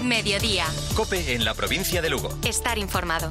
Mediodía. COPE en la provincia de Lugo. Estar informado.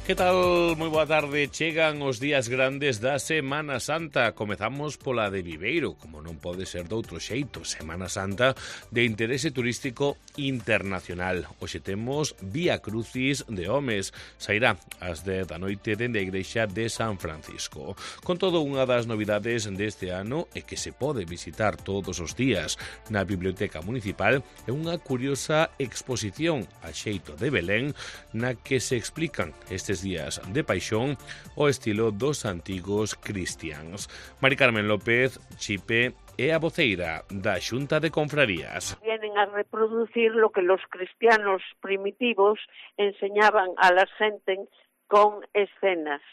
Que tal? Moi boa tarde. Chegan os días grandes da Semana Santa. Comezamos pola de Viveiro, como non pode ser doutro xeito. Semana Santa de interese turístico internacional. Hoxe temos Vía Crucis de homes. Sairá ás 10 da noite dende a igrexa de San Francisco. Con todo, unha das novidades deste ano é que se pode visitar todos os días na Biblioteca Municipal é unha curiosa exposición a xeito de Belén na que se explican estes días de paixón o estilo dos antigos cristiáns. Mari Carmen López Chipe é a voceira da Xunta de Confrarías. Vienen a reproducir lo que los cristianos primitivos enseñaban a la gente con escenas,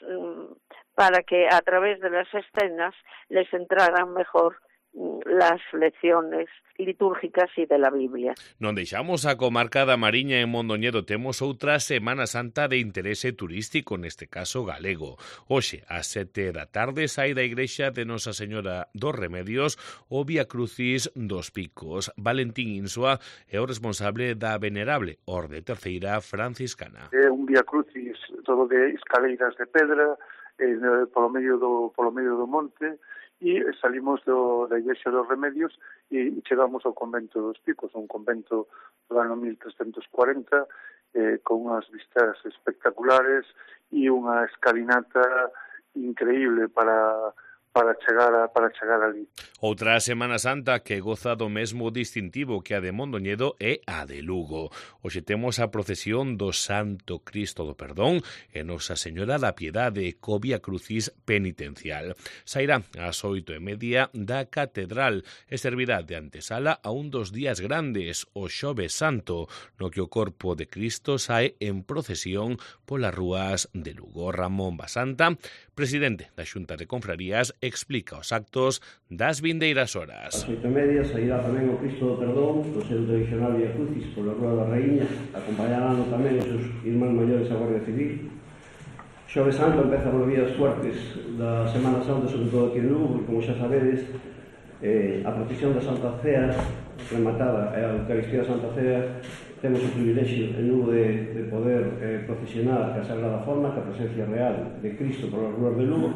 para que a través de las escenas les entraran mejor las lecciones litúrgicas e de la Biblia. Non deixamos a comarca da Mariña en Mondoñedo. Temos outra Semana Santa de interese turístico, neste caso galego. Hoxe, ás 7 da tarde, sai da igrexa de Nosa Señora dos Remedios o Vía Crucis dos Picos. Valentín Insua é o responsable da venerable Orde Terceira franciscana. É un Vía Crucis todo de escaleiras de pedra, polo medio do monte, e salimos da Igrexa dos Remedios e chegamos ao convento dos Picos, un convento do ano 1340, con unhas vistas espectaculares e unha escalinata increíble para chegar ali. Outra Semana Santa que goza do mesmo distintivo que a de Mondoñedo é a de Lugo. Hoxe temos a procesión do Santo Cristo do Perdón e Nosa Señora da Piedade co Vía Crucis penitencial. Sairá ás 8:30 da Catedral e servirá de antesala a un dos días grandes, o Xoves Santo, no que o corpo de Cristo sae en procesión polas rúas de Lugo. Ramón Basanta, presidente da Xunta de Confrarías, explica os actos das vindeiras horas. Ás 8:30 sairá tamén o Cristo do Perdón do seu tradicional Vía Crucis pola Rúa da Raíña, acompañarán tamén os seus irmáns maiores a Guardia Civil. Xoves Santo empeza por vías fuertes da Semana Santa, sobre todo aquí en Lugo, e como xa sabedes, a procesión da Santa Cea rematada e a Eucaristía da Santa Cea, temos o privilexio en Lugo de poder procesionar a Sagrada Forma, a presencia real de Cristo polas rúas de Lugo.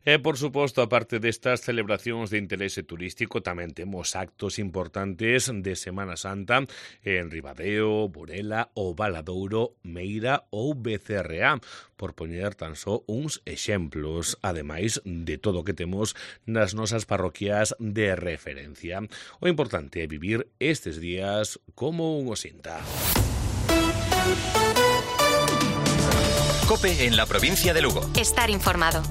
E, por suposto, aparte destas celebracións de interese turístico, tamén temos actos importantes de Semana Santa en Ribadeo, Burela, o Valadouro, Meira ou Becerreá, por poñer tan só uns exemplos, ademais de todo o que temos nas nosas parroquias de referencia. O importante é vivir estes días como un osinta. COPE en la provincia de Lugo. Estar informado.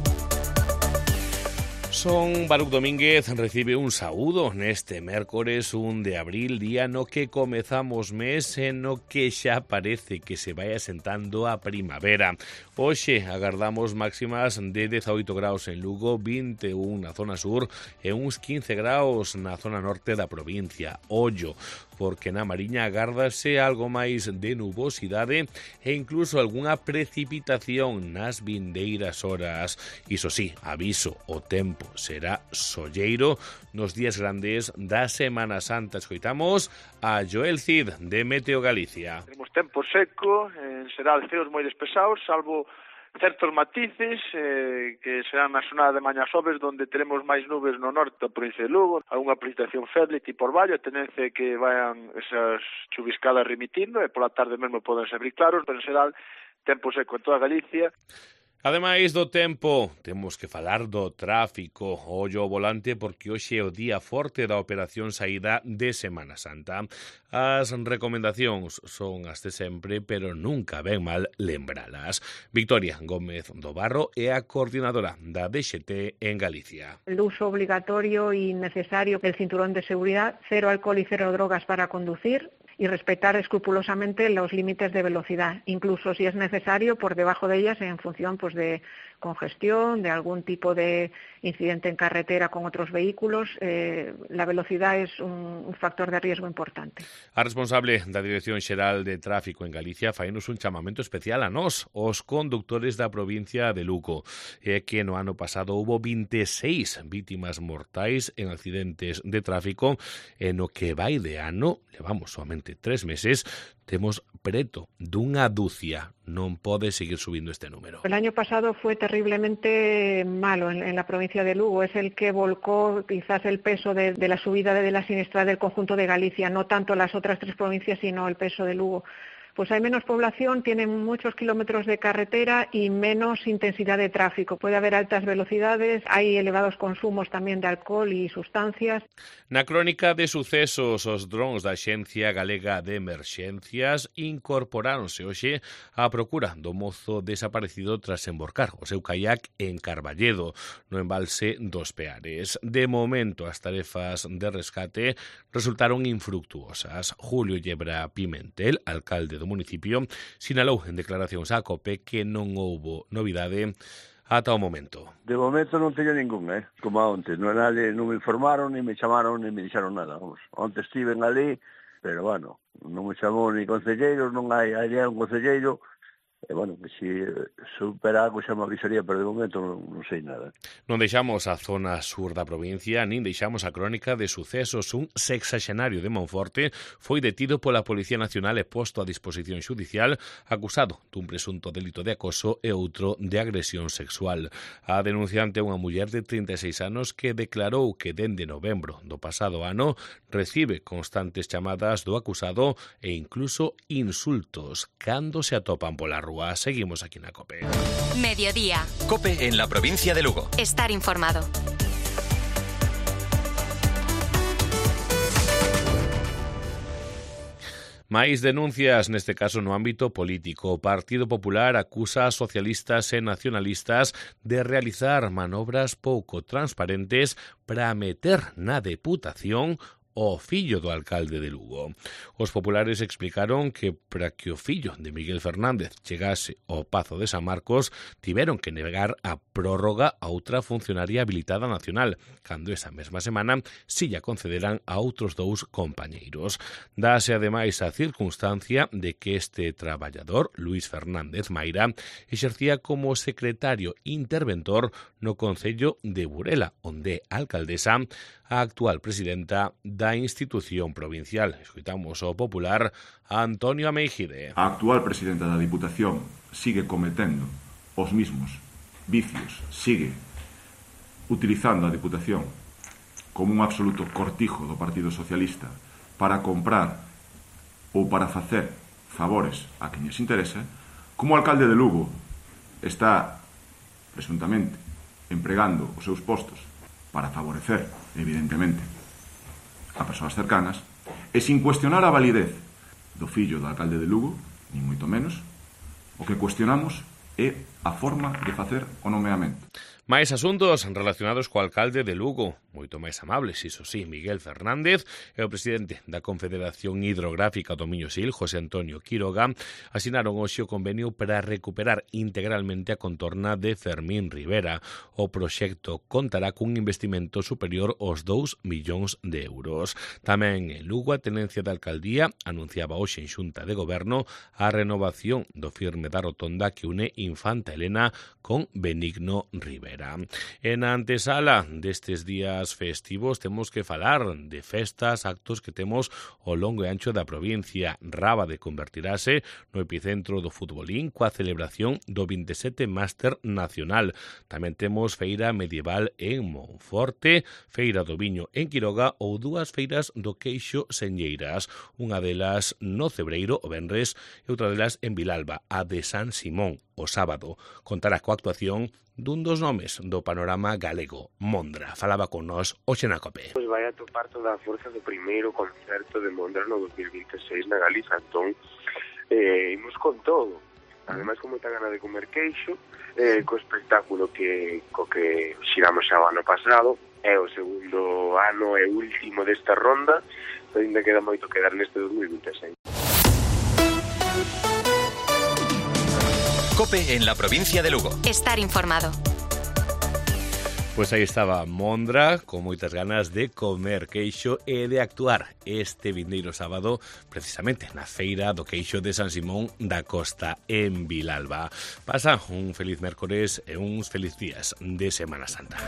Son Baruc Domínguez recibe un saúdo neste mércores 1 de abril, día no que comezamos mes e no que xa parece que se vai asentando a primavera. Hoxe agardamos máximas de 18 graus en Lugo, 21 na zona sur e uns 15 graus na zona norte da provincia. Ollo, porque na Mariña agárdase algo máis de nubosidade e incluso algunha precipitación nas vindeiras horas. Iso sí, aviso, o tempo será solleiro nos días grandes da Semana Santa. Escoitamos a Joel Cid de Meteo Galicia. Temos tempo seco, en xeral ceos moi despesados, salvo certos matices que serán na zona de mañas xoves, donde teremos máis nubes no norte da provincia de Lugo, algunha precipitación feble tipo orballo, a tendencia que vayan esas chuviscadas remitindo e pola tarde mesmo poden ser claros, pero en xeral tempo seco en toda Galicia. Ademais do tempo, temos que falar do tráfico. Ollo ao volante porque hoxe é o día forte da operación saída de Semana Santa. As recomendacións son as de sempre, pero nunca ven mal lembralas. Victoria Gómez do Barro é a coordinadora da DXT en Galicia. El uso obligatorio y necesario del cinturón de seguridad, 0 alcohol y 0 drogas para conducir, y respetar escrupulosamente los límites de velocidad, incluso si es necesario por debajo de ellas en función de congestión, de algún tipo de incidente en carretera con otros vehículos, la velocidad es un factor de riesgo importante. A responsable da Dirección Xeral de Tráfico en Galicia fainos un chamamento especial a nós, os conductores da provincia de Lugo, que no ano pasado houbo 26 vítimas mortais en accidentes de tráfico, e no que vai de ano, levamos somente 3 meses, temos preto dunha dúcia. Non pode seguir subindo este número. El año pasado fue terriblemente malo en la provincia de Lugo. Es el que volcó quizás el peso de la subida de la siniestralidad del conjunto de Galicia, no tanto las otras 3 provincias, sino el peso de Lugo. Pues hay menos población, tienen muchos kilómetros de carretera y menos intensidad de tráfico. Puede haber altas velocidades, hay elevados consumos también de alcohol y sustancias. Na crónica de sucesos, os drones da Axencia Galega de Emerxencias incorporáronse hoxe á procura do mozo desaparecido tras emborcar o seu caiac en Carballedo, no embalse dos Peares. De momento, as tarefas de rescate resultaron infructuosas. Julio Yebra Pimentel, alcalde do municipio, sinalou en declaracións á COPE que non houbo novidade ata o momento. De momento non teño ningún, como onte. Non me informaron, ni me chamaron, ni me dixeron nada. Onte estiven ali, pero bueno, non me chamou ni concelleiros, non hai un concelleiro. E, bueno, que si supera algo xa me avisaría, pero de momento non sei nada. Non deixamos a zona sur da provincia, nin deixamos a crónica de sucesos. Un sexaxenario de Monforte foi detido pola Policía Nacional e posto a disposición xudicial acusado dun presunto delito de acoso e outro de agresión sexual. A denunciante é unha muller de 36 anos que declarou que dende novembro do pasado ano recibe constantes chamadas do acusado e incluso insultos cando se atopan pola rúa. Seguimos aquí na COPE. Mediodía. COPE en la provincia de Lugo. Estar informado. Máis denuncias, neste caso no ámbito político. O Partido Popular acusa a socialistas e nacionalistas de realizar manobras pouco transparentes para meter na Deputación o fillo do alcalde de Lugo. Os populares explicaron que para que o fillo de Miguel Fernández chegase ao Pazo de San Marcos tiveron que negar a prórroga a outra funcionaria habilitada nacional, cando esa mesma semana si lla concederán a outros 2 compañeiros. Dase ademais a circunstancia de que este traballador, Luís Fernández Maira, exercía como secretario interventor no Concello de Burela, onde a alcaldesa a actual presidenta da institución provincial. Escoitamos ao popular Antonio Ameijide. A actual presidenta da Diputación sigue cometendo os mismos vicios, sigue utilizando a Diputación como un absoluto cortijo do Partido Socialista para comprar ou para facer favores a quen lles interesa, como o alcalde de Lugo está presuntamente empregando os seus postos para favorecer, evidentemente, a persoas cercanas, e sin cuestionar a validez do fillo do alcalde de Lugo, nin moito menos, o que cuestionamos é a forma de facer o nomeamento. Máis asuntos relacionados co alcalde de Lugo, moito máis amables, iso sí, Miguel Fernández, e o presidente da Confederación Hidrográfica do Miño-Sil, José Antonio Quiroga, asinaron hoxe o convenio para recuperar integralmente a contorna de Fermín Rivera. O proxecto contará cun investimento superior aos 2 millóns de euros. Tamén en Lugo, a tenencia da alcaldía anunciaba hoxe en xunta de goberno a renovación do firme da rotonda que une Infanta Elena con Benigno Rivera. En a antesala destes días festivos temos que falar de festas, actos que temos ao longo e ancho da provincia. Rábade convertirase no epicentro do futbolín coa celebración do 27 Máster Nacional. Tamén temos feira medieval en Monforte, feira do viño en Quiroga ou 2 feiras do queixo Señeiras. Unha delas no Cebreiro o venres e outra delas en Vilalba, a de San Simón, o sábado. Contará coa actuación dun dos nomes do panorama galego, Mondra. Falaba con nós hoxe na COPE. Pois vai a topar toda a forza do primeiro concerto de Mondra no 2026 na Galiza, entón imos con todo. Ademais, con moita gana de comer queixo, co espectáculo co que xiramos xa o ano pasado, é o segundo ano e último desta ronda, ainda queda moito que dar neste 2026. COPE en la provincia de Lugo. Estar informado. Pois aí estaba Mondra, con moitas ganas de comer queixo e de actuar este vindeiro sábado, precisamente na feira do queixo de San Simón da Costa en Vilalba. Pasa un feliz mércores e uns feliz días de Semana Santa.